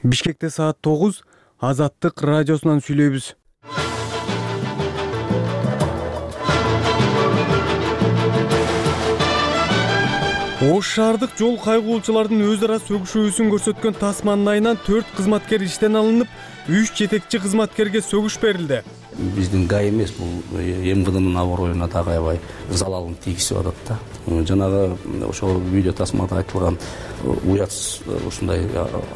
Бишкекте саат 9 Азаттык радиосунан сүйлөйбүз. Ош шаардык жол кайгуулчулардын өз ара сөгүшүүсүн көрсөткөн тасманын айынан 4 кызматкер иштен алынып, 3 жетекчи кызматкерге сөгүш берилди. Биздин ГАИ эмес, бул МВДнын аброюна дагы аябай залалын тийгизип атат да. Жанагы ошол видео тасмада айтылган уятсыз ушундай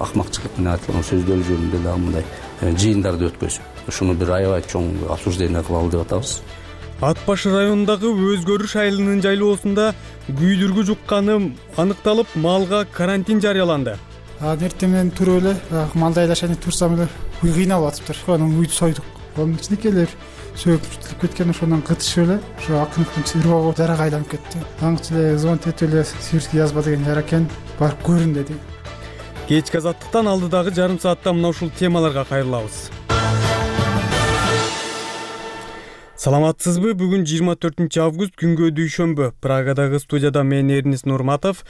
акмакчылык менен айтылган сөздөр жөнүндө дагы мындай жыйындарды өткөзүп, ушуну бир аябай чоң обсуждение кылалы деп атабыз. Ат башы районундагы Өзгөрүш айылынын жайлоосунда күйдүргү жукканы аныкталып, малга карантин жарыяланды. Эртең менен туруп эле малды айдашаны турсам эле уй кыйналып атыптыр. Анан уйду сойдук. Анын ичиндекилер сөөкүп кеткен, ошондон кытышып эле ошо акыныкын сырбоо жарага айланып кетти. Аңчы эле звонить этип эле сирский язба деген жара экен, барып көрүн деди. Кечки азаттыктан алдыдагы жарым саатта мына ушул темаларга кайрылабыз. Саламатсызбы? Бүгүн 24 август күнгө дүйшөмбү. Прагадагы студияда мен Эрнис Нурматов.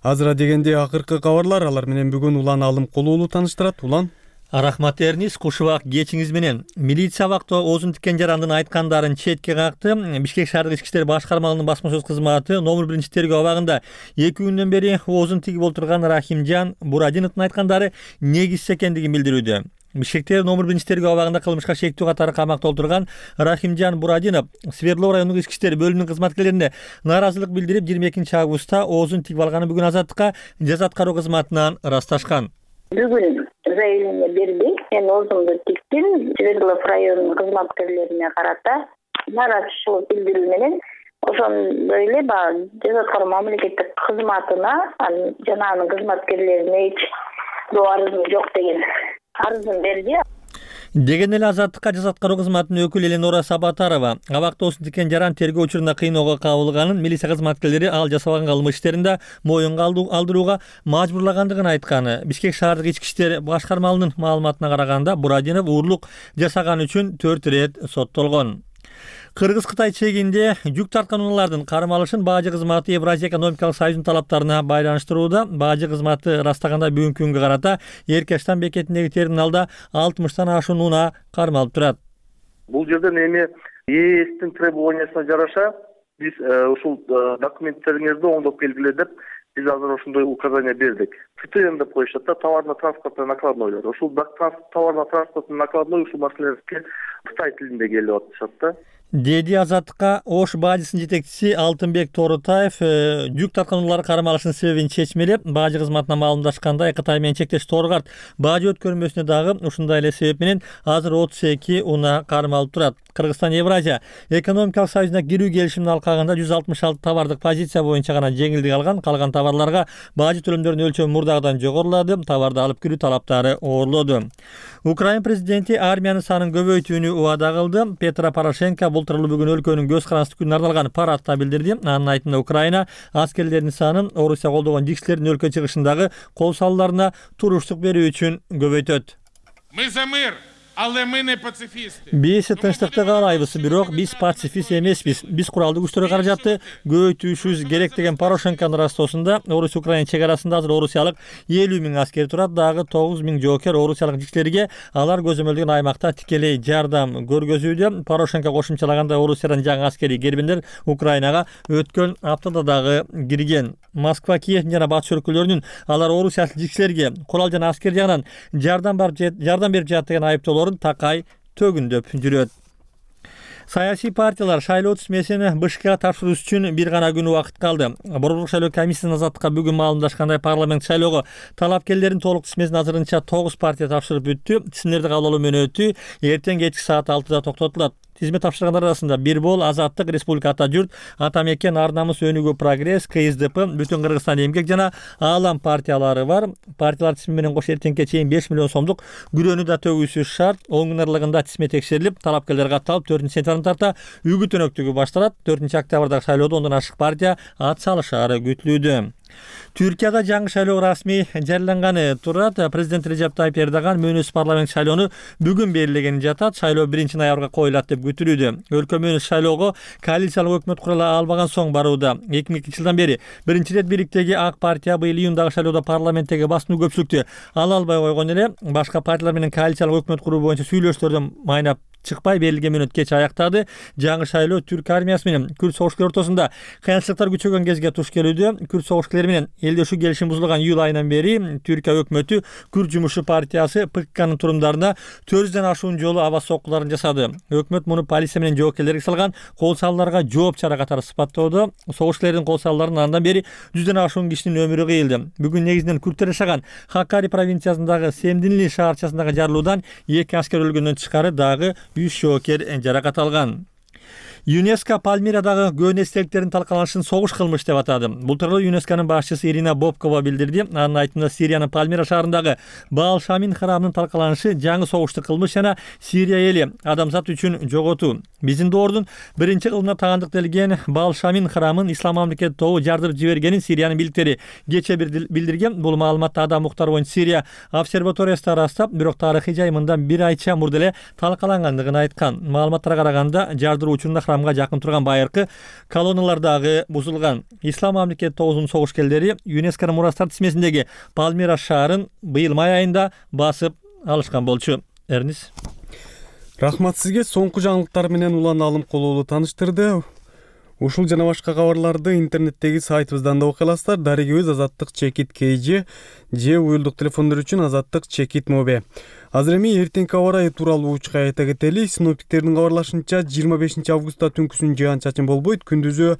Азыра дегенде акыркы кабарлар, алар менен бүгүн Улан Алымкулуулу тааныштырат. Улан. Рахмат Эрнис, кушубак кечиңиз менен. Милиция абакта Оозун Тикен Жарандын айткандарын четке какты. Бишкек шаардык ички иштер башкармалыгынын басма сөз кызматы номер 1 тергөө абагында 2 күндөн бери Оозун тигип отурган Рахимжан Бурадиновдун айткандары негизсиз экендигин билдирүүдө. Бишкекте номер 1 тергөө абагында кылмышка шектүү катары камакта отурган Рахимжан Бурадинов Свердлов райондук ички иштер бөлүмүнүн кызматкерлерине нааразылык билдирип 22 августта Оозун тигип алганы бүгүн Азаттыкка жаза аткаруу кызматынан ырасташкан. Бүгүн заявление берди. Мен оозумду тиктим. Свердлов районунун кызматкерлерине карата нааразычылык билдирүү менен ошондой эле баягы жаза аткаруу мамлекеттик кызматына жана анын кызматкерлерине эч арызым жок деген арызын берди. Деген эле Азаттыкка жаза аткаруу кызматынын өкүлү Эленора Сабатарова абакта Оозун Тикен Жаран тергөө учурунда кыйноого кабылганын, милиция кызматкерлери ал жасабаган кылмыш иштеринде моюнга алдырууга мажбурлагандыгын айтканы. Бишкек шаардык ички иштер башкармалыгынын маалыматына караганда Бурадинов уурлук жасаган үчүн 4 ирет соттолгон. Кыргыз-Кытай чегинде жүк тарткан унаалардын кармалышын Баажы кызматы Евразия экономикалык союзунун талаптарына байланыштырууда. Баажы кызматы ырастаганда бүгүнкү күнгө карата Эркештан бекетиндеги терминалда 60тан ашуун унаа кармалып турат. Бул жерден эми ЕСтин требованиясына жараша биз ушул документтериңизди оңдоп келгиле деп биз азыр ошондой указание бердик. ТТН деп коюшат да, товарно-транспортный накладнойлор. Ушул товарно-транспортный накладной ушул маселелерге Кытай тилинде келип атышат да. Деди Азаттыкка Ош баажысынын жетекчиси Алтынбек Торутаев жүк тарткан унаалар кармалышынын себебин чечмелеп, баажы кызматына маалымдашкандай Кытай менен чектеш Торгарт баажы өткөрмөсүнө дагы ушундай эле себеп менен азыр 32 унаа кармалып турат. Кыргызстан Евразия экономикалык союзуна кирүү келишимин алкагында 166 товардык позиция боюнча гана жеңилдик алган, калган товарларга баажы төлөмдөрүнүн өлчөмү мурдагыдан жогорулады, товарды алып кирүү талаптары оорлоду. Украин президенти армиянын санын көбөйтүүнү убада кылды. Петро Порошенко бултурлуу бүгүн өлкөнүн көз карандысы күнүнө арналган парадта билдирди. Анын айтымында Украина аскерлеринин санын Орусия колдогон жикшилердин өлкө чыгышындагы кол салууларына туруштук берүү үчүн көбөйтөт. Мы за мир. Биз тынчтыкты каалайбыз, бирок биз пацифист эмеспиз. Биз куралдуу күчтөргө каражатты көбөйтүүшүбүз керек деген Порошенконун растоосунда Орусия Украина чек арасында азыр орусиялык 50 000 аскер турат. Дагы 9 000 жоокер орусиялык жикшилерге алар көзөмөлдөгөн аймакта тикелей жардам көргөзүүдө. Порошенко кошумчалагандай Орусиядан жаңы аскерий кербендер Украинага өткөн аптада дагы кирген. Москва, Киев жана батыш өлкөлөрүнүн алар орусиялык жикшилерге курал жана аскер жагынан жардам берип жатат деген айыптоолорун такай төгүндөп жүрөт. Саясий партиялар шайлоо тизмесин БШКга тапшыруу үчүн бир гана күн убакыт калды. Борборлук шайлоо комиссиясынын Азаттыкка бүгүн маалымдашкандай парламент шайлоого талапкерлердин толук тизмесин азырынча 9 партия тапшырып бүттү. Тизмелерди кабыл алуу мөөнөтү эртең кечки саат 6-да токтотулат. Тизме тапшыргандар арасында Бир бол, Азаттык, Республика Ата журт, Ата мекен, Ар намыс, Өнүгүү, Прогресс, КСДП, Бүтүн Кыргызстан эмгек жана Аалам партиялары бар. Партиялар тизме менен кош эртеңке чейин 5 миллион сомдук күрөөнү да төгүүсү шарт. 10 күн аралыгында тизме текшерилип, талапкерлер катталып 4-сентябрдан тарта үгүт өнөктүгү башталат. 4 октябрдагы шайлоодо 10 ашык партия ат салышары күтүлүүдө. Түркияда жаңы шайлоо расмий жарыяланганы турат. Президент Режеп Тайип Эрдоган мөөнөз парламент шайлоону бүгүн белгилегени жатат. Шайлоо 1-ноябрга коюлат деп күтүлүүдө. Өлкө мөөнөз шайлоого коалициялык өкмөт курула албаган соң барууда. 2002 жылдан бери биринчи ирет бириктеги ак партия быйыл июндагы шайлоодо парламенттеги басымдуу көпчүлүктү ала албай койгон эле. Башка партиялар менен коалициялык өкмөт куруу боюнча сүйлөшүүлөрдөн майнап чыкпай берилген мүнөт кеч аяктады. Жаңы шайлоо түрк армиясы менен күрд согушкулары ортосунда кыянчылыктар күчөгөн кезге туш келүүдө. Күрд согушкулары менен элдешүү келишим бузулган июль айынан бери Түркия өкмөтү Күрд жумушчу партиясы ПККнын турумдарына 400дөн ашуун жолу аба соккуларын жасады. Өкмөт муну полиция менен жоокерлерге салган кол салууларга жооп чара катары сыпаттоодо. Согушкулардын кол салууларынан андан бери 100дөн ашуун кишинин өмүрү кыйылды. Бүгүн негизинен күрдтөр жашаган Хакари провинциясындагы Семдинли шаарчасындагы жарылуудан 2 аскер өлгөндөн тышкары дагы 3 жоокер жаракат алган. ЮНЕСКО Пальмирадагы көөн эстеликтердин талкаланышын согуш кылмыш деп атады. Бул тууралуу ЮНЕСКонун башчысы Ирина Бобкова билдирди. Анын айтымында Сириянын Пальмира шаарындагы Баал Шамин храмынын талкаланышы жаңы согуштук кылмыш жана Сирия эли адамзат үчүн жоготуу. Биздин доордун биринчи кылымына тагандык делген Баал Шамин храмын ислам мамлекети тобу жардырып жибергенин Сириянын бийликтери кече билдирген. Бул маалыматты Адам Муктар боюнча Сирия обсерваториясы ырастап, бирок тарыхый жайымындан 1 айча мурда эле талкалангандыгын айткан. Маалыматтарга караганда жардыруу учурунда храмга жакын турган байыркы колонналар дагы бузулган. Ислам мамлекети тобунун согушкерлери ЮНЕСКонун мурастар тизмесиндеги Пальмира шаарын быйыл май айында басып алышкан болчу. Эрнис. Рахмат сизге. Соңку жаңылыктар менен Улан Алым Колуулу тааныштырды. Ушул жана башка кабарларды интернеттеги сайтыбыздан да окуй аласыздар. Дарегибиз azattik.kg же уюлдук телефондор үчүн azattik.mob. Азыр эми эртеңки аба ырайы тууралуу учка айта кетели. Синоптиктердин кабарлашынча 25 августта түнкүсүн жаан-чачын болбойт. Күндүзү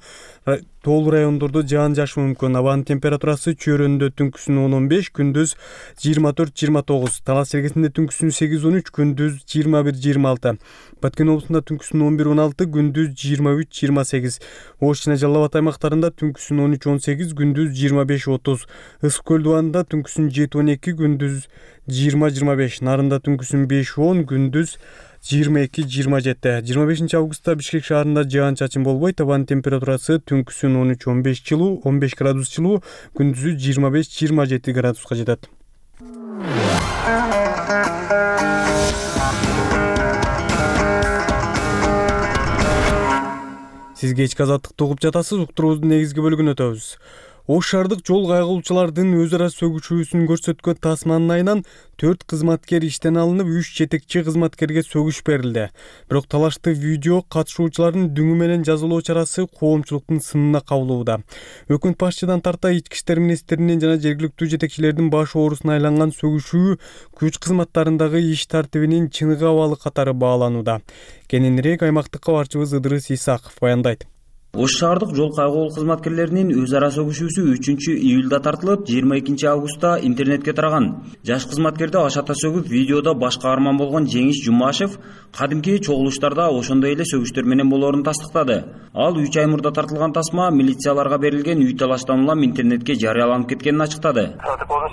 тоолуу райондордо жаан жаашы мүмкүн. Абанын температурасы чөйрөндө түнкүсүн 10-15, күндүз 24-29. Талас жергесинде түнкүсүн 8-13, күндүз 21-26. Баткен облусунда түнкүсүн 11-16, күндүз 23-28. Ош жана Жалал Абад аймактарында түнкүсүн 13-18, күндүз 25-30. Ысык көл дубанында түнкүсүн 7-12, күндүз 20-25. Нарында түнкүсүн 5-10, күндүз 22-27. 25 августта Бишкек шаарында жаан-чачын болбойт. Абанын температурасы түнкүсүн 13-15 жылуу, 15 градус жылуу, күндүзү 25-27 градуска жетет. Сиз кечки азаттыкты угуп жатасыз. Уктуруубуздун негизги бөлүгүнө өтөбүз. Ош шаардык жол кайгылуучулардын өз ара сөгүшүүсүн көрсөткөн тасманын айынан 4 кызматкер иштен алынып, 3 жетекчи кызматкерге сөгүш берилди. Бирок талашты видео катышуучулардын дүңү менен жазалоо чарасы коомчулуктун сынына кабылууда. Өкмөт башчыдан тарта ички иштер министринин жана жергиликтүү жетекчилердин баш оорусуна айланган сөгүшүү күч кызматтарындагы иш тартибинин чыныгы абалы катары бааланууда. Кененирээк аймактык кабарчыбыз Ыдырыс Исаков баяндайт. Ош шаардык жол кайгылуу кызматкерлеринин өз ара сөгүшүүсү 3-июлда тартылып, 22-августта интернетке тараган. Жаш кызматкерди ашата сөгүп, видеодо баш каарман болгон Жеңиш Жумашев кадимки чогулуштарда ошондой эле сөгүштөр менен болоорун тастыктады. Ал 3 ай мурда тартылган тасма милицияларга берилген үй талаштан улам интернетке жарыяланып кеткенин ачыктады.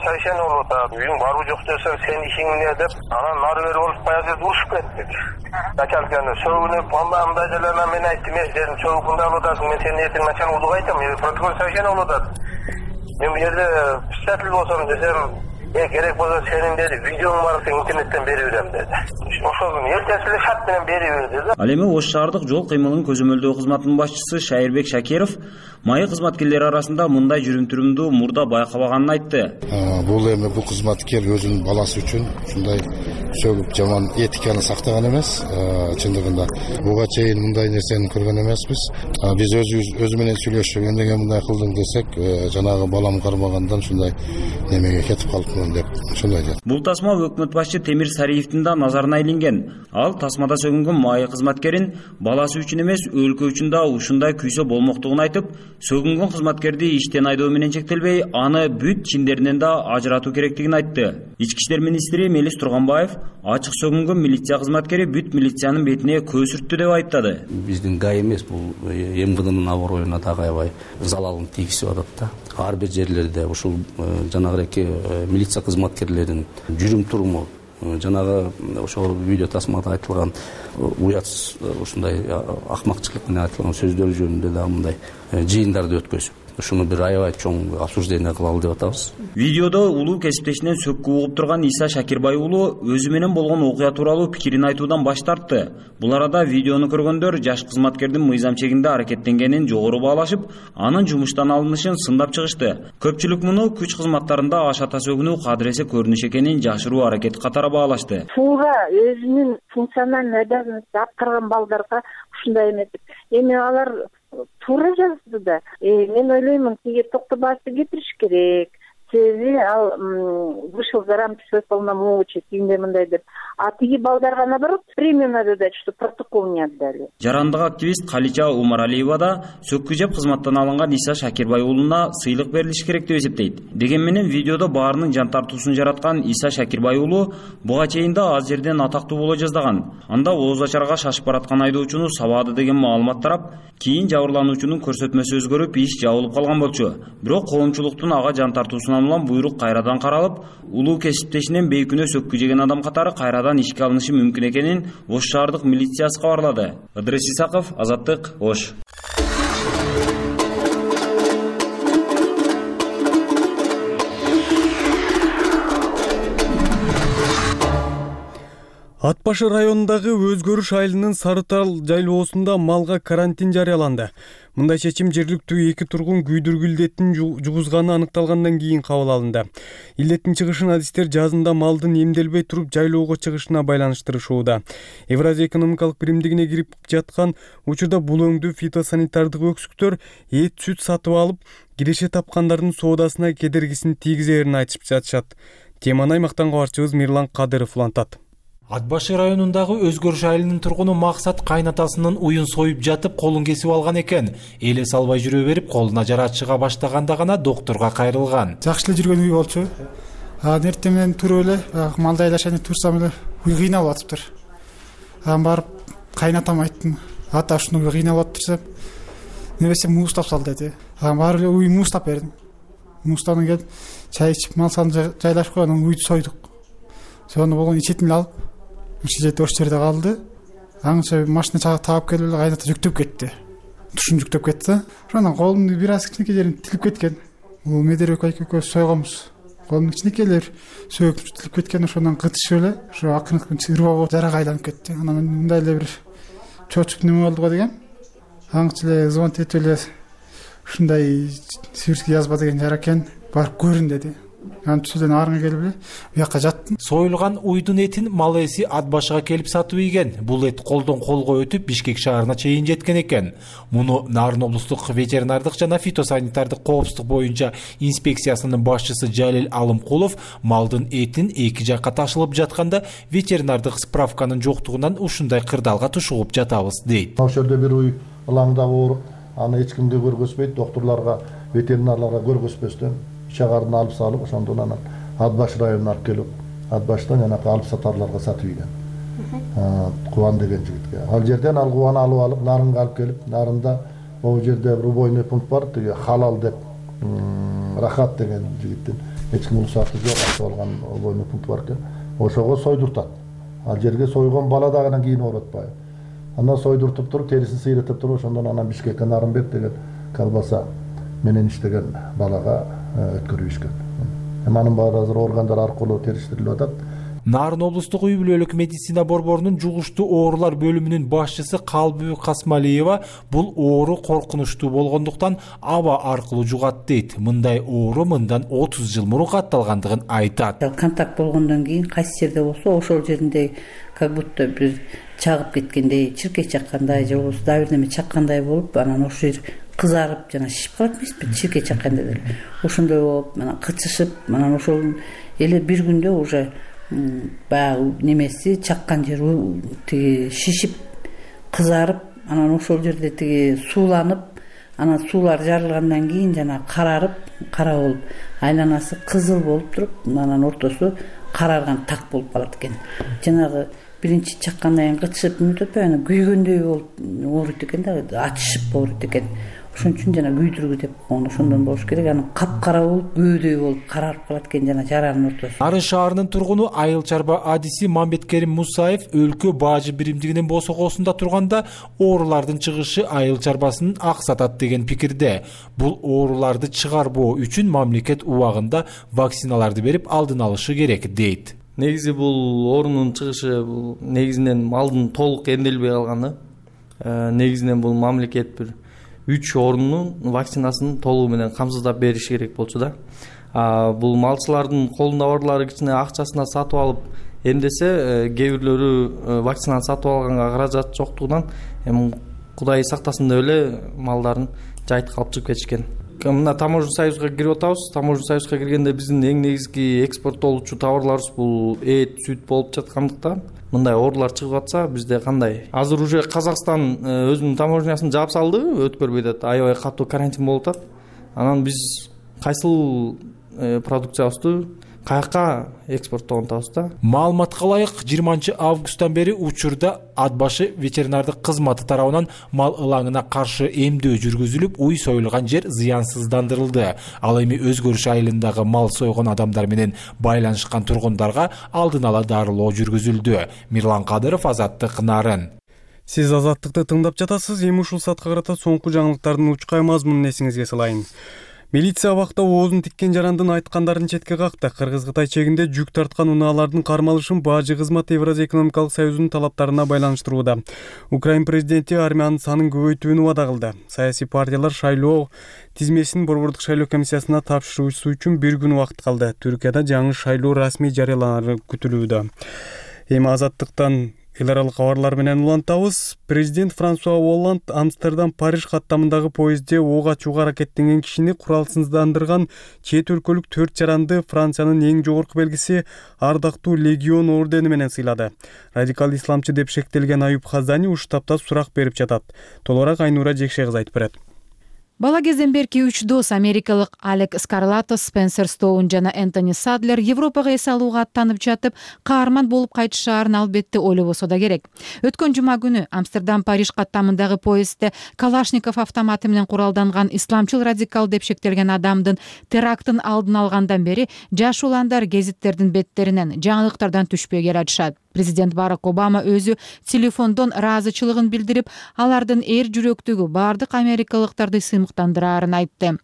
Совершенно үйүң барбы жок десең, сен ишиң эмне деп, анан нары бери болуп баягы жерде урушуп кеттик. Начальниканы сөгүнүп, мындай жерлерден мен айттым, сен сөгүп мен сени ертең начал удук айтам, протокол совершенно болот. Мен бу жерде писатель болсом десем, керек болсо сенин деди, видеоң бар, сен интернеттен берип берем деди. Ошол эртеси эле шарт менен берип бер деди. Ал эми Ош шаардык жол кыймылын көзөмөлдөө кызматынын башчысы Шайырбек Шакиров майы кызматкерлери арасында мындай жүрүм-турумду мурда байкабаганын айтты. Бул кызматкер өзүнүн баласы үчүн ушундай сөгүп жаман этиканы сактаган эмес. Чындыгында буга чейин мындай нерсени көргөн эмеспиз. Биз өзү менен сүйлөшүп, эмнеге мындай кылдың десек, жанагы балам кармагандан ушундай немеге кетип калыпмын деп ушундай дейт. Бул тасма өкмөт башчы Темир Сариевдин да назарына илинген. Ал тасмада сөгүнгөн майы кызматкерин баласы үчүн эмес, өлкө үчүн да ушундай күйсө болмоктугун айтып, сөгүнгөн кызматкерди иштен айдоо менен чектелбей, аны бүт чиндеринен да ажыратуу керектигин айтты. Ички иштер министри Мелис Турганбаев ачык сөгүнгөн милиция кызматкери бүт милициянын бетине көз сүрттү деп айттады. Биздин гай эмес, бул МВДнын аброюна дагы аябай залалын тийгизип атат да. Ар бир жерлерде ушул жанагы милиция кызматкерлеринин жүрүм-туруму, жанагы ошол видео тасмада айтылган уятсыз ушундай акмакчылык менен айтылган сөздөр жөнүндө да мындай жыйындарды өткөзүп, ушуну бир аябай чоң обсуждение кылалы деп атабыз. Видеодо улуу кесиптешинен сөккү угуп турган Иса Шакирбай уулу өзү менен болгон окуя тууралуу пикирин айтуудан баш тартты. Бул арада видеону көргөндөр жаш кызматкердин мыйзам чегинде аракеттенгенин жогору баалашып, анын жумуштан алынышын сындап чыгышты. Көпчүлүк муну күч кызматтарында аш ата сөгүнүү кадыресе көрүнүш экенин жашыруу аракет катары баалашты. Туура өзүнүн функциональный обязанностун аткарган балдарга ушундай эметип, эми алар туура жазды да. Мен ойлоймун, тиги токтобашты кетириш керек. Себеби ал вышел за рамки своих полномочий, тигиндей мындай деп. А тиги балдарга наоборот премию надо дать, что протокол не отдали. Жарандык активист Калича Умаралиева да сөккү жеп кызматтан алынган Иса Шакирбай уулуна сыйлык берилиш керек деп эсептейт. Деген менен видеодо баарынын жан тартуусун жараткан Иса Шакирбай уулу буга чейин да аз жерден атактуу боло жаздаган. Анда ооз ачарга шашып бараткан айдоочуну сабады деген маалымат тарап, кийин жабырлануучунун көрсөтмөсү өзгөрүп, иш жабылып калган болчу. Бирок коомчулуктун ага жан тартуусуна улан буйрук кайрадан каралып, улуу кесиптешинен бейкүнөө сөккү жеген адам катары кайрадан ишке алынышы мүмкүн экенин Ош шаардык милициясы кабарлады. Ыдрис Исаков, Азаттык, Ош. Ат башы районундагы Өзгөрүш айылынын Сарытал жайлоосунда малга карантин жарыяланды. Мындай чечим жергиликтүү 2 тургун күйдүргү илдеттин жугузганы аныкталгандан кийин кабыл алынды. Илдеттин чыгышын адистер жазында малдын эмделбей туруп жайлоого чыгышына байланыштырышууда. Евразия экономикалык биримдигине кирип жаткан учурда бул өңдүү фитосанитардык өксүктөр эт, сүт сатып алып, киреше тапкандардын соодасына кедергисин тийгизерин айтышып жатышат. Теманы аймактан кабарчыбыз Мирлан Кадыров улантат. Ат башы районундагы Өзгөрүш айылынын тургуну Максат кайнатасынын уюн союп жатып, колун кесип алган экен. Эле салбай жүрө берип, колуна жара чыга баштаганда гана доктурга кайрылган. Жакшы эле жүргөн үй болчу. Эртең менен туруп эле малды айлашаны турсам эле уй кыйналып атыптыр. Барып кайнатам айттым. Ата ушуну кыйналып атырсам, небесе муз тапсал деди. Барып эле уй муз тап бердим. Муздан келип, чай ичип, мал сан жайлашып койгон уйду сойдук. Сону болгон ичетин алып, ичет ош жерде калды. Аңча машина таап келип эле кайната жүктөп кетти. Тушун жүктөп кетти. Ошондон колумдун бир аз кичинекей жерин тилип кеткен. Бул медер экөөбүз сойгонбуз. Колумдун кичинекейлер сөөк тилип кеткен, ошондон кытышып эле ошо акыркы ырбап жарага айланып кетти. Анан мындай эле бир чочуп неме болду го деген. Аңча эле звонок этип эле ушундай сибирский язба деген жара экен, барып көрүн деди. Антүсүдөн арыңа келип эле бияка жаттым. Союлган уйдун этин мал ээси ат башыга келип сатып ийген. Бул эт колдон колго өтүп Бишкек шаарына чейин жеткен экен. Муну Нарын облустук ветеринардык жана фитосанитардык коопсуздук боюнча инспекциясынын башчысы Жалил Алымкулов малдын этин эки жакка ташылып жатканда ветеринардык справканын жоктугунан ушундай кырдаалга тушугуп жатабыз дейт. Ошол жерде бир уй ылаңда ооруп, аны эч кимге көргөзбөйт, доктурларга, ветеринарларга көргөзбөстөн чагарын алып салып, ошондон анан Ат башы районуна алып келип, Ат баштан жанагы алып сатарларга сатып ийген. Кубан деген жигитке. Ал жерден ал кубаны алып Нарынга алып келип, Нарында могу жерде убойный пункт бар, тиги халал деп, Рахат деген жигиттин эч ким уруксаты жок ачып алган убойный пункт бар экен. Ошого сойдуртат. Ал жерге сойгон бала дагы кийин ооротпайбы. Андан сойдуртуп туруп, терисин сыйрытып туруп, ошондон анан Бишкекке Нарынбек деген колбаса менен иштеген балага өткөрүп ишкен. Анын баары азыр органдар аркылуу териштирилип атат. Нарын облустук үй бүлөлүк медицина борборунун жугуштуу оорулар бөлүмүнүн башчысы Калбү Касмалиева бул оору коркунучтуу болгондуктан аба аркылуу жугат дейт. Мындай оору мындан 30 жыл мурун катталгандыгын айтат. Контакт болгондон кийин кайсы жерде болсо ошол жеринде как будто бир чагып кеткендей, чиркей чаккандай же болбосо да бирдеме чаккандай болуп, анан ошол жер кызарып жана шишип калат эмеспи, чиркей чакканда деле. Ошондой болуп, анан кычышып, анан ошол эле бир күндө уже баягы немеси чаккан жер тиги шишип, кызарып, анан ошол жерде тиги сууланып, анан суулар жарылгандан кийин жана карарып, кара болуп, айланасы кызыл болуп туруп, анан ортосу карарган так болуп калат экен. Жанагы биринчи чаккандан кийин кычышып мүнөтпөй, анан күйгөндөй болуп ооруйт экен да, ачышып ооруйт экен. Ошон үчүн жана күйдүргү деп койгон ошондон болуш керек. Анан капкара болуп, көөдөй болуп карарып калат экен жана жаранын ортосу. Нарын шаарынын тургуну Айыл чарба адиси Мамбеткерим Мусаев өлкө бажы биримдигинин босогосунда турганда оорулардын чыгышы айыл чарбасын аксатат деген пикирде. Бул ооруларды чыгарбоо үчүн мамлекет убагында вакциналарды берип алдын алышы керек дейт. Негизи бул оорунун чыгышы бул негизинен малдын толук эмделбей калганы. Негизинен бул мамлекет бир 3 оорунун вакцинасын толугу менен камсыздап бериш керек болчу да. Бул малчылардын колунда барлары кичине акчасына сатып алып эмдесе, кээ бирлөрү вакцинаны сатып алганга каражат жоктугунан эми Кудай сактасын деп эле малдарын жайыт калып чыгып кетишкен. Мына Таможня союзга кирип атабыз. Таможня союзга киргенде биздин эң негизги экспорттолчу товарларыбыз бул эт, сүт болуп жаткандыктан мындай оорулар чыгып атса бизде кандай? Азыр уже Казакстан өзүнүн таможнясын жаап салды, өткөрбөй атат. Аябай катуу карантин болуп атат. Анан биз кайсыл продукциябызды каяка экспорттогон атабыз да. Маалыматка ылайык 20-августтан бери учурда ат башы ветеринардык кызматы тарабынан мал ылаңына каршы эмдөө жүргүзүлүп, уй союлган жер зыянсыздандырылды. Ал эми өзгөрүш айылындагы мал сойгон адамдар менен байланышкан тургундарга алдын ала дарылоо жүргүзүлдү. Мирлан Кадыров, Азаттык, Нарын. Сиз Азаттыкты тыңдап жатасыз. Эми ушул саатка карата соңку жаңылыктардын учкай мазмунун эсиңизге салайын. Милиция абакта оозун тиккен жарандын айткандарын четке какты. Кыргыз-Кытай чегинде жүк тарткан унаалардын кармалышын бажы кызматы Евразия экономикалык союзунун талаптарына байланыштырууда. Украин президенти армиянын санын көбөйтүүнү убада кылды. Саясий партиялар шайлоо тизмесин Борбордук шайлоо комиссиясына тапшыруу үчүн бир күн убакыт калды. Түркияда жаңы шайлоо расмий жарыяланары күтүлүүдө. Эми Азаттыктан эл аралык кабарлар менен улантабыз. Президент Франсуа Олланд Амстердам-Париж каттамындагы поездде ок ачууга аракеттенген кишини куралсыздандырган чет өлкөлүк 4 жаранды Франциянын эң жогорку белгиси Ардактуу легион ордени менен сыйлады. Радикал исламчы деп шектелген Аюп Хазани уштапта сурак берип жатат. Толугураак Айнура Жекше кыз айтып берет. Бала кезден берки 3 дос америкалык Алек Скарлатос, Спенсер Стоун жана Энтони Садлер Европага эс алууга аттанып жатып, каарман болуп кайтышаарын албетте ойлобосо да керек. Өткөн жума күнү Амстердам-Париж каттамындагы поездде Калашников автоматы менен куралданган исламчыл радикал деп шектелген адамдын терактын алдын алгандан бери жаш уландар гезиттердин беттеринен, жаңылыктардан түшпөй келатышат. Президент Барак Обама өзү телефондон ыраазычылыгын билдирип, алардын эр жүрөктөгү бардык америкалыктарды сыймыктандыраарын айтты.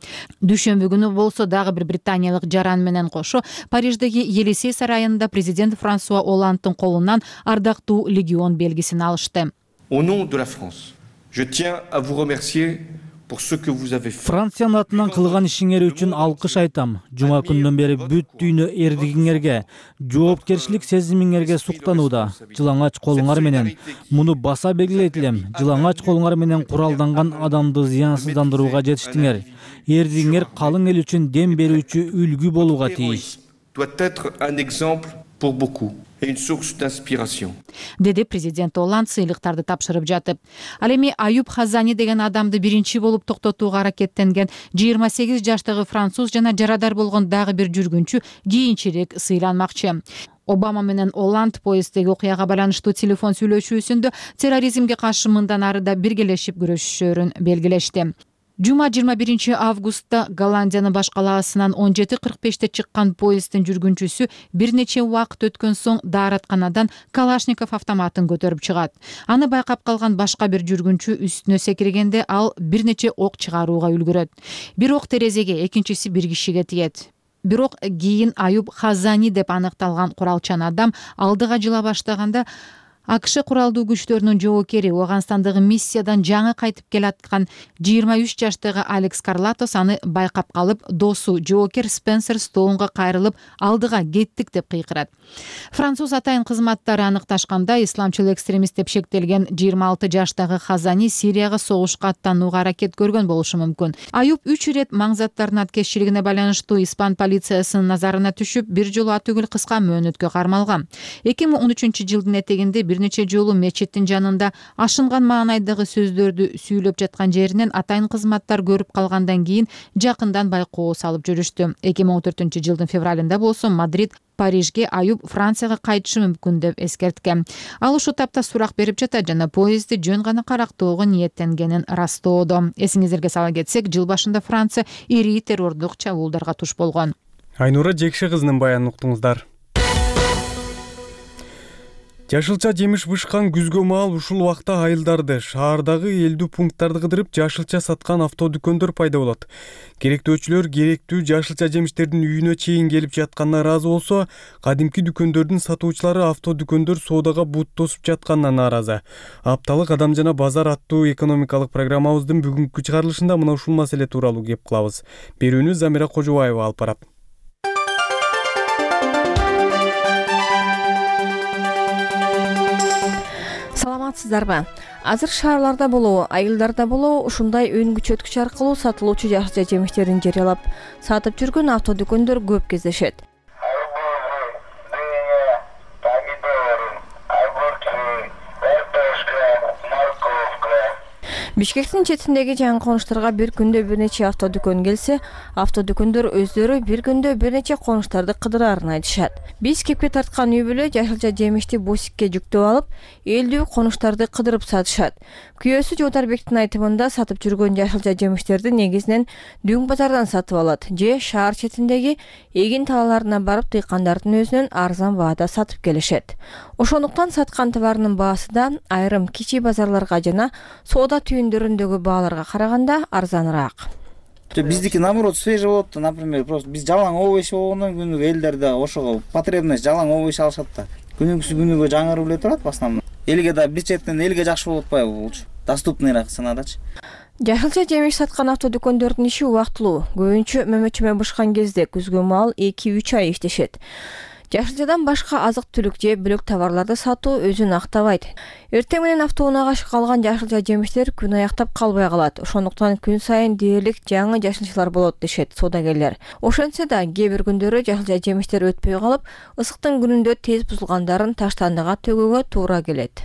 Дүйшөмбү күнү болсо дагы бир британиялык жаран менен кошо Париждеги Елисей сарайында президент Франсуа Олландтын колунан Ардактуу легион белгисин алышты. Au nom de la France, je tiens à vous remercier pour ce que vous avez fait. Франциянын атынан кылган ишиңер үчүн алкыш айтам. Жума күндөн бери бүт дүйнө эрдигиңерге, жоопкерчилик сезимиңерге суктанууда. Жылаңач колуңар менен муну баса белгилейт элем. Жылаңач колуңар менен куралданган адамды зыянсыздандырууга жетиштиңер. Эрдигиңер калың эл үчүн дем берүүчү үлгү болууга тийиш. Doit être un exemple pour beaucoup. Une source d'inspiration. Деди президент Олланд сыйлыктарды тапшырып жатып. Ал эми Аюп Хазани деген адамды биринчи болуп токтотууга аракеттенген 28 жаштагы француз жана жарадар болгон дагы бир жүргүнчү кийинчерээк сыйланмакчы. Обама менен Олланд поезддеги окуяга байланыштуу телефон сүйлөшүүсүндө терроризмге каршы мындан ары да биргелешип күрөшүшөрүн белгилешти. Жума 21 августта Голландиянын баш калаасынан 17:45-те чыккан поезддин жүргүнчүсү бир нече убакыт өткөн соң дааратканадан Калашников автоматын көтөрүп чыгат. Аны байкап калган башка бир жүргүнчү үстүнө секиргенде ал бир нече ок чыгарууга үлгүрөт. Бир ок терезеге, экинчиси бир кишиге тиет. Бирок кийин Аюп Хазани деп аныкталган куралчан адам алдыга жыла баштаганда АКШ куралдуу күчтөрүнүн жоокери Ооганстандагы миссиядан жаңы кайтып келаткан 23 жаштагы Алекс Карлатос аны байкап калып, досу жоокер Спенсер Стоунга кайрылып, алдыга кеттик деп кыйкырат. Француз атайын кызматтары аныкташканда, исламчыл экстремист деп шектелген 26 жаштагы Хазани Сирияга согушка аттанууга аракет көргөн болушу мүмкүн. Аюп 3 ирет маңзаттардын аткезчилигине байланыштуу испан полициясынын назарына түшүп, бир жолу ат үгүл кыска мөөнөткө кармалган. 2013 жылдын этегинде бир нече жолу мечиттин жанында ашынган маанайдагы сөздөрдү сүйлөп жаткан жеринен атайын кызматтар көрүп калгандан кийин жакындан байкоо салып жүрүштү. 2014-жылдын февралында болсо Мадрид Парижге Аюп Францияга кайтышы мүмкүн деп эскерткен. Ал ушул тапта сурак берип жатат жана поездди жөн гана карактоого ниеттенгенин растоодо. Эсиңиздерге сала кетсек, жыл башында Франция ири террордук чабуулдарга туш болгон. Айнура Жекше кызынын баянын уктуңуздар. Жашылча жемиш бышкан күзгө маал ушул убакта айылдарды, шаардагы элдүү пункттарды кыдырып жашылча саткан автодүкөндөр пайда болот. Керектөөчүлөр керектүү жашылча жемиштердин үйүнө чейин келип жатканына ыраазы болсо, кадимки дүкөндөрдүн сатуучулары автодүкөндөр соодага бут тосуп жатканына нааразы. Апталык Адам жана базар аттуу экономикалык программабыздын бүгүнкү чыгарылышында мына ушул маселе тууралуу кеп кылабыз. Берүүнү Замира Кожобаева алып барат. Саламатсыздарбы? Азыр шаарларда болобу, айылдарда болобу ушундай өн күчөткүч аркылуу сатылуучу жашылча жемиштерин жарыялап сатып жүргөн автодүкөндөр көп кездешет. Бишкектин четиндеги жаңы конуштарга бир күндө бир нече автодүкөн келсе, автодүкөндөр өздөрү бир күндө бир нече конуштарды кыдырарын айтышат. Биз кепке тарткан үй бүлө жашылча жемишти бусикке жүктөп алып, элдүү конуштарды кыдырып сатышат. Күйөөсү Жодарбектин айтымында сатып жүргөн жашылча жемиштерди негизинен Дүң базардан сатып алат же шаар четиндеги эгин талааларына барып дыйкандардын өзүнөн арзан баада сатып келишет. Ошондуктан саткан товарынын баасы да айрым кичи базарларга жана соода түйүндөрүндөгү бааларга караганда арзаныраак. Биздики наоборот свежий болот, например, просто биз жалаң овощ болгондон күнүгө элдер да ошого потребность жалаң овощ алышат да. Күнүгүсү күнүгө жаңырып эле турат в основном. Элге да бир четтен элге жакшы болуп атпайбы булчу? Доступныйраак санадачы. Жашылча жемиш саткан автодүкөндөрдүн иши убактылуу. Көбүнчө мөмөчөмө бышкан кезде күзгө маал 2-3 ай иштешет. Жашылчадан башка азык-түлүк же бөлөк товарларды сатуу өзүн актабайт. Эртең менен автоунаага калган жашылча жемиштер күн аяктап калбай калат. Ошондуктан күн сайын дээрлик жаңы жашылчалар болот дешет соодагерлер. Ошентсе да кээ бир күндөрү жашылча жемиштер өтпөй калып, ысыктын күнүндө тез бузулгандарын таштандыга төгүүгө туура келет.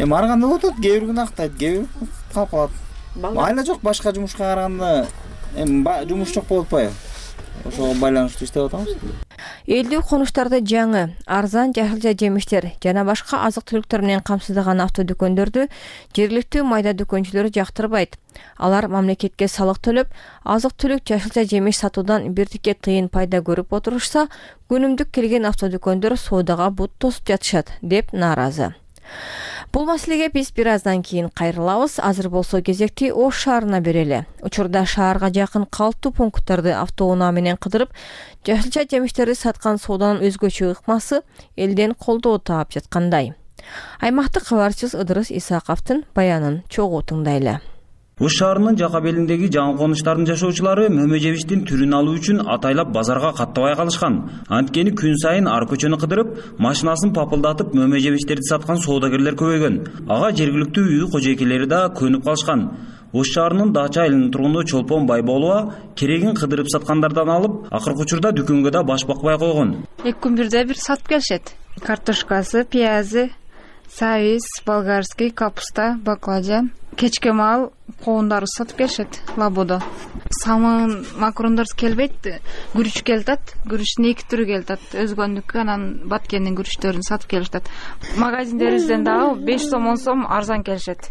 Ар кандай болот, кээ бир күн актайт, кээ бир калып калат. Айла жок, башка жумушка караганда жумуш жок болуп атпайбы? Ошого байланыштуу иштеп атабыз. Элдүү конуштарды жаңы, арзан жашылча жемиштер жана башка азык-түлүктөр менен камсыздаган автодүкөндөрдү жергиликтүү майда дүкөнчүлөр жактырбайт. Алар мамлекетке салык төлөп, азык-түлүк жашылча жемиш сатуудан бирдикке тыйын пайда көрүп отурушса, күнүмдүк келген автодүкөндөр соодага бут тосуп жатышат деп нааразы. Бул маселеге биз бир аздан кийин кайрылабыз. Азыр болсо кезекти Ош шаарына берели. Учурда шаарга жакын калктуу пункттарды автоунаа менен кыдырып, жашылча жемиштерди саткан сооданын өзгөчө ыкмасы элден колдоо таап жаткандай. Аймактык кабарчыбыз Ыдырыс Исаковдун баянын чогуу тыңдайлы. Ош шаарынын жака белиндеги жаңы конуштардын жашоочулары мөмө жемиштин түрүн алуу үчүн атайлап базарга каттабай калышкан. Анткени күн сайын ар көчөнү кыдырып, машинасын папылдатып мөмө жемиштерди саткан соодагерлер көбөйгөн. Ага жергиликтүү үй кожойкелери да көнүп калышкан. Ош шаарынын Дача айылынын тургуну Чолпон Байболова керегин кыдырып саткандардан алып, акыркы учурда дүкөнгө да баш бакпай койгон. 2 күн бирде бир сатып келишет. Картошкасы, пиязы, сабиз, болгарский, капуста, баклажан. Кечке маал коондар сатып келишет лабодо. Самын макарондор келбейт, күрүч келатат. Күрүчтүн 2 түрү келатат. Өзгөндүккө анан Баткендин күрүчтөрүн сатып келишет. Магазиндерибизден дагы 5 сом 10 сом арзан келишет.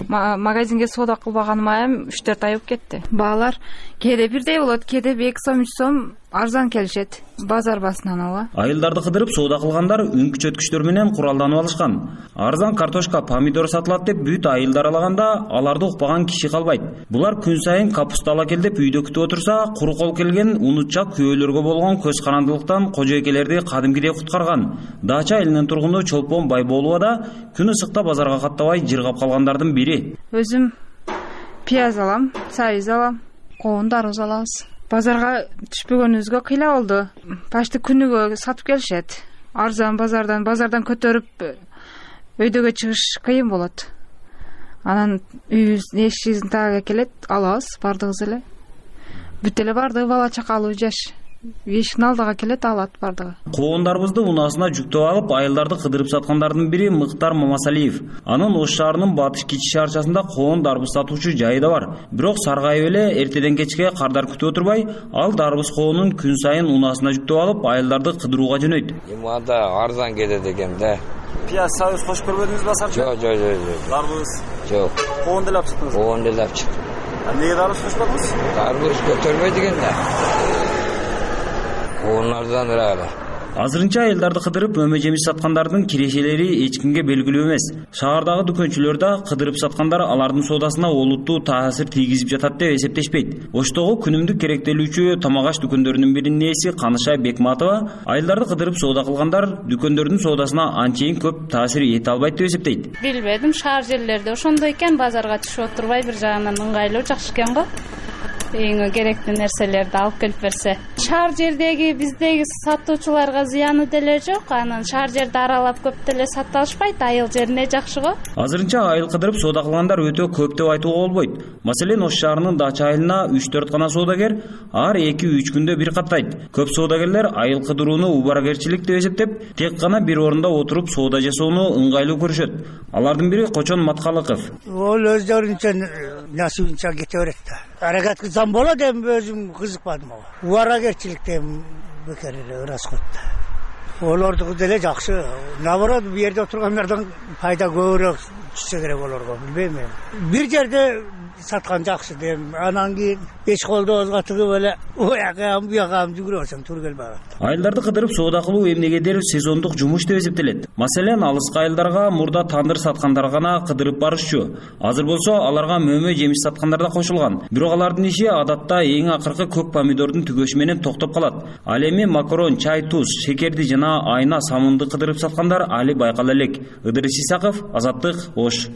Магазинге соода кылбаганыма эм 3-4 ай болуп кетти. Баалар кээде бирдей болот, кээде 2 сом 3 сом арзан келишет. Базар басынан ала. Айылдарды кыдырып соода кылгандар үн күчөткүчтөр менен куралданып алышкан. Арзан картошка, помидор сатылат деп бүт айылдар алаганда аларды укпаган киши калбайт. Булар күн сайын капуста ала кел деп үйдө күтүп отурса, куру кол келген унутчак күйөөлөргө болгон көз карандылыктан кожойкелерди кадимкидей куткарган. Дача айылынын тургуну Чолпон Байболова да күн ысыкта базарга каттабай жыргап калгандардын бири. Өзүм пияз алам, сабиз алам, коон дарбыз алабыз. Базарга түшпөгөнүбүзгө кыйла болду. Почти күнүгө сатып келишет. Арзан базардан көтөрүп өйдөгө чыгыш кыйын болот. Анан үйүбүздүн эшигибиздин тагыга келет, алабыз бардыгыбыз эле. Бүт эле бардыгы бала чакалуу жаш. эшиктин алдыга келет, алат бардыгы. Коондарыбызды унаасына жүктөп алып, айылдарды кыдырып саткандардын бири Мыктар Мамасалиев. Анын Ош шаарынын батыш кичи шаарчасында коон дарбыз сатуучу жайы да бар. Бирок саргайып эле эртеден кечке кардар күтүп отурбай, ал дарбыз коонун күн сайын унаасына жүктөп алып, айылдарды кыдырууга жөнөйт. Анда арзан кетет экен да. Пияз, сабыз кошуп көрбөдүңүзбү асарчы? Жок. Дарбыз? Жок. Коон деле алып чыктыңыз? Коон деле алып чыктым. Эмнеге дарбыз кошпадыңыз? Дарбыз көтөрбөйт экен да. Коон арзаныраак эле. Азырынча айылдарды кыдырып мөмө жемиш саткандардын кирешелери эч кимге белгилүү эмес. Шаардагы дүкөнчүлөр да кыдырып саткандар алардын соодасына олуттуу таасир тийгизип жатат деп эсептешпейт. Оштогу күнүмдүк керектелүүчү тамак аш дүкөндөрүнүн биринин ээси Каныша Бекматова айылдарды кыдырып соода кылгандар дүкөндөрдүн соодасына анчейин көп таасир эте албайт деп эсептейт. Билбедим, шаар жерлерде ошондой экен, базарга түшүп отурбай бир жагынан ыңгайлуу, жакшы экен го. Эң керектүү нерселерди алып келип берсе. Шаар жердеги биздеги сатуучуларга зыяны деле жок. Анан шаар жерди аралап көп деле сатып алышпайт, айыл жерине жакшы го. Азырынча айыл кыдырып соода кылгандар өтө көп деп айтууга болбойт. Маселен, Ош шаарынын Дача айылына 3-4 гана соодагер ар 2-3 күндө бир каттайт. Көп соодагерлер айыл кыдырууну убаракерчилик деп эсептеп, тек гана бир орунда отуруп соода жасоону ыңгайлуу көрүшөт. Алардын бири Кочон Маткалыков. Ол өздөрүнчө насыбынча кете берет да. Аракет кылсам болот, эми өзүм кызыкпадым ага. Убаракерчиликтен бекер эле расход. Олордуку деле жакшы. Наоборот, бу жерде отургандардан пайда көбүрөөк түшсө керек олорго, билбейм эми. Бир жерде саткан жакшы дейм. Анан кийин эч колдобузга тыгып эле уяка буяка жүгүрө берсең туура келбей калат. Айылдарды кыдырып соода кылуу эмнегедир сезондук жумуш деп эсептелет. Маселен, алыскы айылдарга мурда тандыр саткандар гана кыдырып барышчу. Азыр болсо аларга мөмө жемиш саткандар да кошулган. Бирок алардын иши адатта эң акыркы көк помидордун түгөшү менен токтоп калат. Ал эми макарон, чай, туз, шекерди жана айна, самынды кыдырып саткандар али байкала элек. Ыдырыс Исаков, Азаттык, Ош.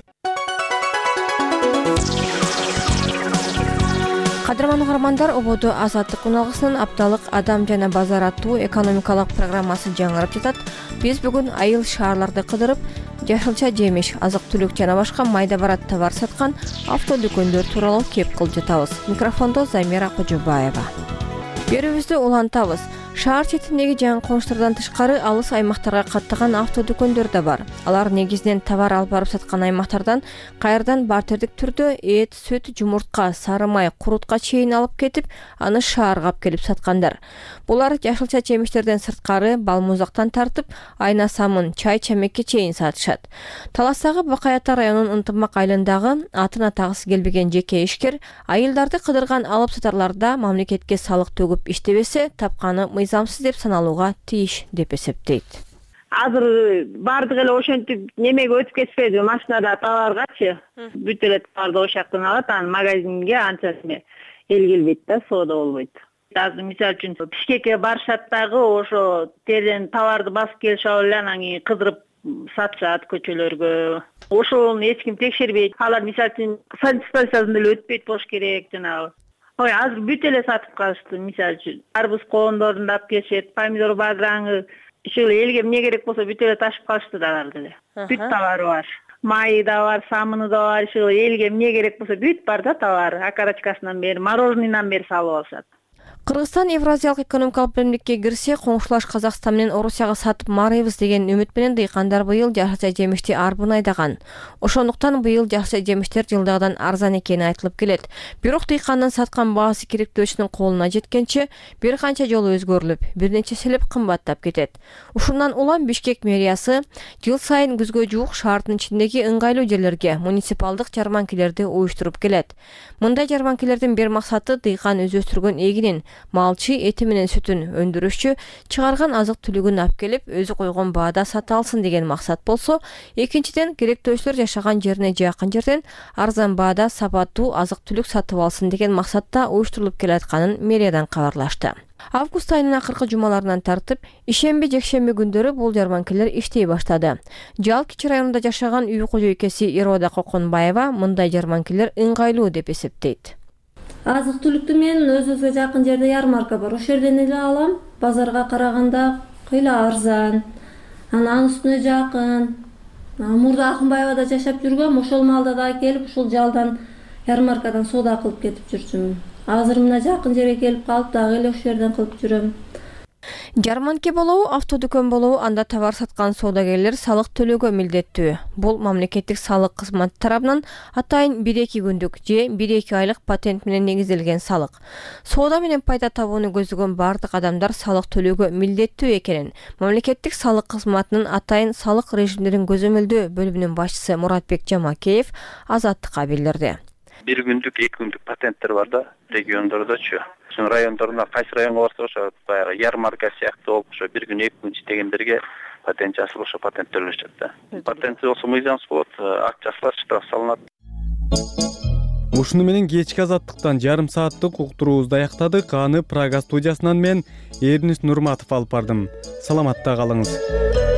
Кадырман угармандар, ободо Азаттык уналгысынын апталык адам жана базар аттуу экономикалык программасы жаңырып жатат. Биз бүгүн айыл шаарларды кыдырып, жашылча жемиш, азык түлүк жана башка майда барат товар саткан автодүкөндөр тууралуу кеп кылып жатабыз. Микрофондо Замира Кожобаева. Берүүбүздү улантабыз. Шаар четиндеги жаңы конуштардан тышкары алыс аймактарга каттаган автодүкөндөр да бар. Алар негизинен товар алып барып саткан аймактардан кайрадан бартердик түрдө эт, сүт, жумуртка, сары май, курутка чейин алып кетип, аны шаарга алып келип саткандар. Булар жашылча жемиштерден сырткары балмузактан тартып, айна самын, чай, чамекке чейин сатышат. Таластагы Бакай Ата районунун Ынтымак айылындагы атын атагысы келбеген жеке ишкер айылдарды кыдырган алып сатарларда мамлекетке салык төгүп иштебесе, тапканы мыйзамсыз деп саналууга тийиш деп эсептейт. Азыр бардык эле ошентип немеге өтүп кетпеди, машинада товаргачы. Бүт эле товарды ош жактан алат, анан магазинге анча эл келбейт да, соода болбойт. Азыр мисалы үчүн Бишкекке барышат дагы, ошо терден товарды басып келишип эле анан кийин кыдырып сатышат көчөлөргө. Ошону эч ким текшербейт. Алар мисалы үчүн санстанциядан эле өтпөйт болуш керек жанагы. Азыр бүт эле сатып калышты. Мисалы үчүн арбуз коондорун алып келишет, помидор, бадыраңы, ушул элге эмне керек болсо бүт эле ташып калышты дагы деле. Бүт товары бар. Майы да бар, самыны да бар, ушул элге эмне керек болсо бүт бар да товар. Окорочкасынан бери, мороженныйдан бери салып алышат. Кыргызстан Евразиялык экономикалык биримдикке кирсе, коңшулаш Казакстан менен Орусияга сатып марыйбыз деген үмүт менен дыйкандар быйыл жашылча жемишти арбын айдаган. Ошондуктан быйыл жашылча жемиштер жылдагыдан арзан экени айтылып келет. Бирок дыйкандын саткан баасы керектөөчүнүн колуна жеткенче бир канча жолу өзгөрүлүп, бир нече селеп кымбаттап кетет. Ушундан улам Бишкек мэриясы жыл сайын күзгө жуук шаардын ичиндеги ыңгайлуу жерлерге муниципалдык жарманкелерди уюштуруп келет. Мындай жарманкелердин бир максаты дыйкан өстүргөн эгинин, малчы эти менен сүтүн өндүрүшчү чыгарган азык түлүгүн алып келип, өзү койгон баада сата алсын деген максат болсо, экинчиден керектөөчүлөр жашаган жерине жакын жерден арзан баада сапаттуу азык түлүк сатып алсын деген максатта уюштурулуп келатканын мэриядан кабарлашты. Август айынын акыркы жумаларынан тартып, ишемби, жекшемби күндөрү бул жарманкелер иштей баштады. Жал Кичи районунда жашаган үй кожойкеси Ирода Коконбаева мындай жарманкелер ыңгайлуу деп эсептейт. Азык түлүктү мен өзүбүзгө жакын жерде ярмарка бар. Ошол жерден эле алам. Базарга караганда кыйла арзан. Анан үстүнө жакын. Мурда Акынбаевада жашап жүргөм, ошол маалда да келип, ушул жалдан ярмаркадан соода кылып кетип жүрчүмүн. азыр мына жакын жерге келип калып дагы эле ошол жерден кылып жүрөм. Жарманке болобу, автодүкөн болобу, анда товар саткан соодагерлер салык төлөөгө милдеттүү. Бул мамлекеттик салык кызматы тарабынан атайын 1-2 күндүк же 1-2 айлык патент менен негизделген салык. Соода менен пайда табууну көздөгөн бардык адамдар салык төлөөгө милдеттүү экенин мамлекеттик салык кызматынын атайын салык режимдерин көзөмөлдөө бөлүмүнүн башчысы Муратбек Жамакеев Азаттыкка билдирди. 1 күндүк, 2 күндүк патенттер бар да, региондордочу. Райондорунда кайсы районго барса ошо баягы ярмарка сыяктуу болуп ошо 1 күн 2 күн иштегендерге патент жасалып ошо патент төлөшөт да. Патентси болсо мыйзамсыз болот, акт жасалат, штраф салынат. Ушуну менен кечки Азаттыктан жарым сааттык уктуруубузду аяктадык. Аны Прага студиясынан мен Эрнис Нурматов алып бардым. Саламатта калыңыз.